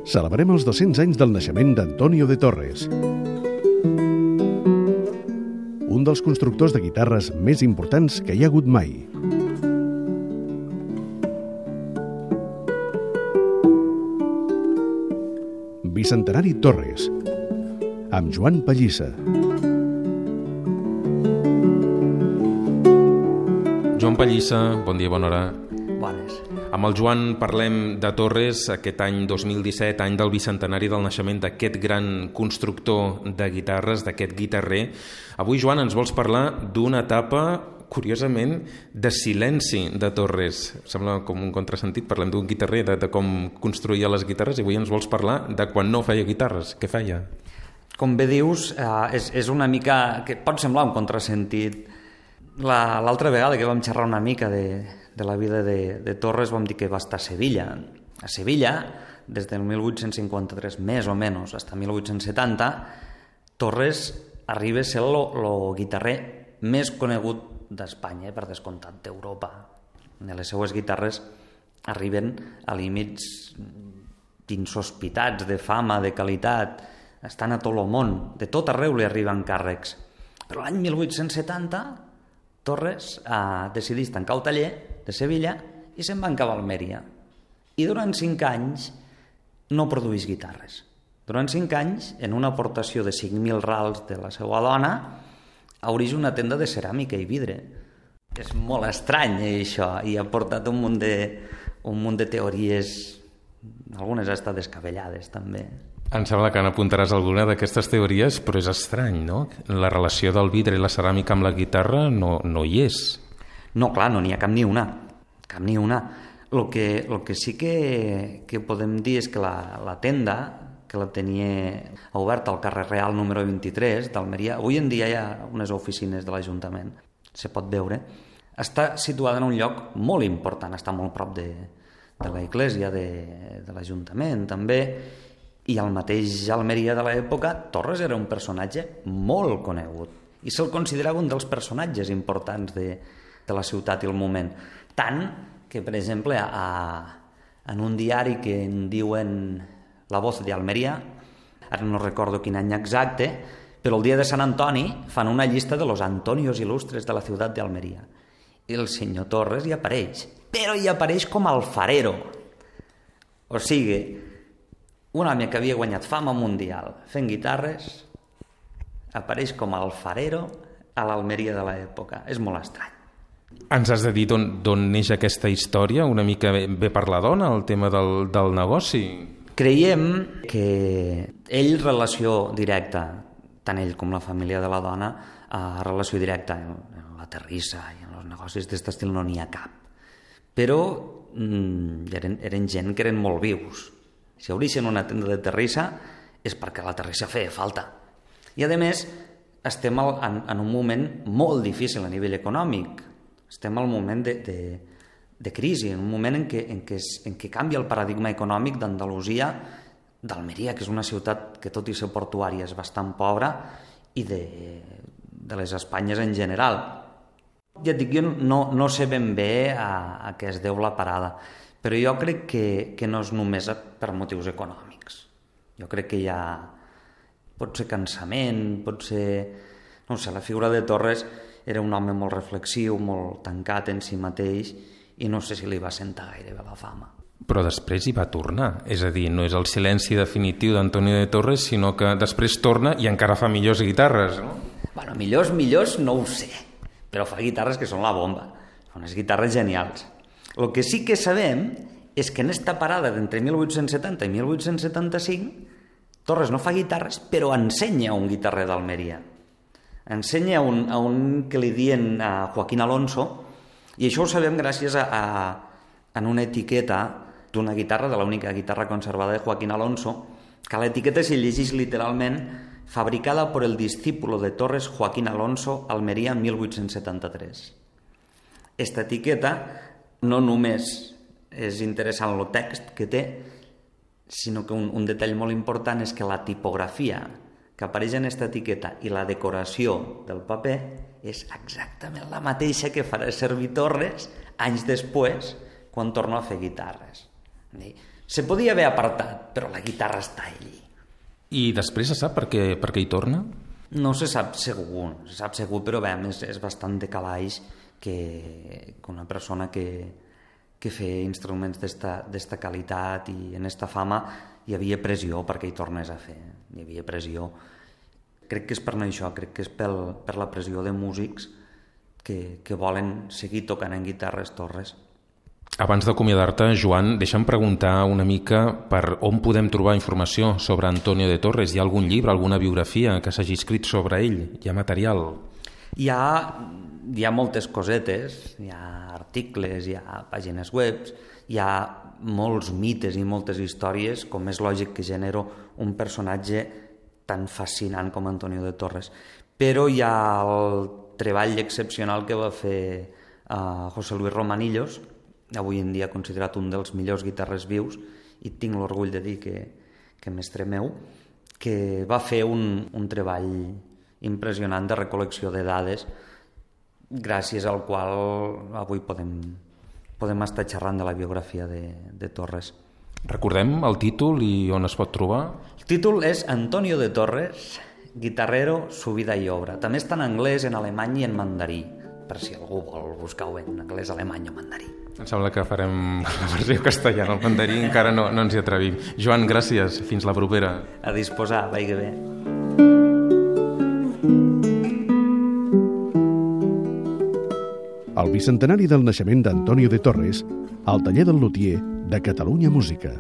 Celebrem els 200 anys del naixement d'Antonio de Torres, un dels constructors de guitarres més importants que hi ha hagut mai. Bicentenari Torres, amb Joan Pallissa. Joan Pallissa, bon dia, bona hora. Bones. Amb el Joan parlem de Torres, aquest any 2017, any del bicentenari del naixement d'aquest gran constructor de guitarres, d'aquest guitarrer. Avui, Joan, ens vols parlar d'una etapa, curiosament, de silenci de Torres. Sembla com un contrasentit, parlem d'un guitarrer, de com construïa les guitarres, i avui ens vols parlar de quan no feia guitarres. Què feia? Com bé dius, és una mica... que pot semblar un contrasentit. L'altra vegada que vam xerrar una mica de la vida de Torres vam dir que va estar a Sevilla. A Sevilla, des del 1853, més o menys, fins a 1870, Torres arriba a ser el guitarrer més conegut d'Espanya, per descomptat d'Europa. Les seues guitarres arriben a límits insospitats de fama, de qualitat, estan a tot el món, de tot arreu li arriben càrrecs. Però l'any 1870 Torres decideix tancar el taller de Sevilla i se'n va cap a Almeria. I durant 5 anys no produeix guitarres. Durant 5 anys, en una aportació de 5.000 rals de la seva dona, obreix una tenda de ceràmica i vidre. És molt estrany, això, i ha portat un munt de teories, algunes han estat descabellades, també. Em sembla que n'apuntaràs alguna d'aquestes teories, però és estrany, no? La relació del vidre i la ceràmica amb la guitarra no hi és. No, clar, no n'hi ha cap ni una. Cap ni una. El que sí que podem dir és que la tenda, que la tenia oberta al carrer Real número 23 d'Almeria, avui en dia hi ha unes oficines de l'Ajuntament, se pot veure, està situada en un lloc molt important, està molt prop de la església de l'Ajuntament, també, i al mateix Almeria de l'època, Torres era un personatge molt conegut i se'l considerava un dels personatges importants de la ciutat i el moment. Tant que, per exemple, en un diari que en diuen La Voz de Almeria, ara no recordo quin any exacte, però el dia de Sant Antoni fan una llista de los Antonios ilustres de la ciutat d'Almeria. I el senyor Torres hi apareix, però hi apareix com alfarero. O sigui, un home que havia guanyat fama mundial fent guitarres apareix com a alfarero a l'Almeria de l'època. És molt estrany. Ens has de dir d'on neix aquesta història? Una mica ve per la dona, el tema del negoci? Creiem que ell, relació directa, tant ell com la família de la dona, relació directa en la terrissa i en els negocis d'aquest estil no n'hi ha cap. Però eren gent que eren molt vius. Si obreixen una tenda de terrissa és perquè la terrissa feia falta. I, a més, estem en un moment molt difícil a nivell econòmic. Estem al moment de crisi, en un moment en què canvia el paradigma econòmic d'Andalusia, d'Almeria, que és una ciutat que, tot i ser portuària, és bastant pobra, i de les Espanyes en general. Ja et dic, jo no sé ben bé a què es deu la parada, però jo crec que no és només per motius econòmics. Jo crec que pot ser cansament, pot ser... No sé, la figura de Torres era un home molt reflexiu, molt tancat en si mateix, i no sé si li va sentar gaire bé la fama. Però després hi va tornar, és a dir, no és el silenci definitiu d'Antonio de Torres, sinó que després torna i encara fa millors guitarres, no? Bueno, millors no ho sé, però fa guitarres que són la bomba, són unes guitarres genials. El que sí que sabem és que en esta parada d'entre 1870 i 1875 Torres no fa guitarres, però ensenya a un guitarrer d'Almeria. Ensenya a un que li diuen Joaquín Alonso, i això ho sabem gràcies a una etiqueta d'una guitarra, de l'única guitarra conservada de Joaquín Alonso, que a l'etiqueta s'hi llegeix literalment fabricada por el discípulo de Torres Joaquín Alonso, Almeria, 1873. Esta etiqueta no només és interessant el text que té, sinó que un detall molt important és que la tipografia que apareix en aquesta etiqueta i la decoració del paper és exactament la mateixa que farà servir Torres anys després, quan torna a fer guitarres. Se podia haver apartat, però la guitarra està allí. I després se sap per què hi torna? No se sap segur, però bé, és bastant de calaix que una persona que feia instruments d'esta qualitat i en esta fama hi havia pressió perquè hi tornés a fer. Hi havia pressió. Crec que és per això, crec que és per la pressió de músics que volen seguir tocant en guitarres Torres. Abans d'acomiadar-te, Joan, deixa'm preguntar una mica per on podem trobar informació sobre Antonio de Torres. Hi ha algun llibre, alguna biografia que s'hagi escrit sobre ell? Hi ha material? Hi ha moltes cosetes, hi ha articles, hi ha pàgines web, hi ha molts mites i moltes històries, com és lògic que genero un personatge tan fascinant com Antonio de Torres. Però hi ha el treball excepcional que va fer José Luis Romanillos, avui en dia considerat un dels millors guitarres vius, i tinc l'orgull de dir que mestre meu, que va fer un treball impressionant de recol·lecció de dades, gràcies al qual avui podem estar xerrant de la biografia de Torres. Recordem el títol i on es pot trobar? El títol és Antonio de Torres, guitarrero, su vida y obra. També està en anglès, en alemany i en mandarí, per si algú vol buscar-ho en anglès, alemany o mandarí. Em sembla que farem la versió castellana, el mandarí encara no ens hi atrevim. Joan, gràcies, fins la propera. A disposar, vagi bé. El bicentenari del naixement d'Antonio de Torres al taller del lutier de Catalunya Música.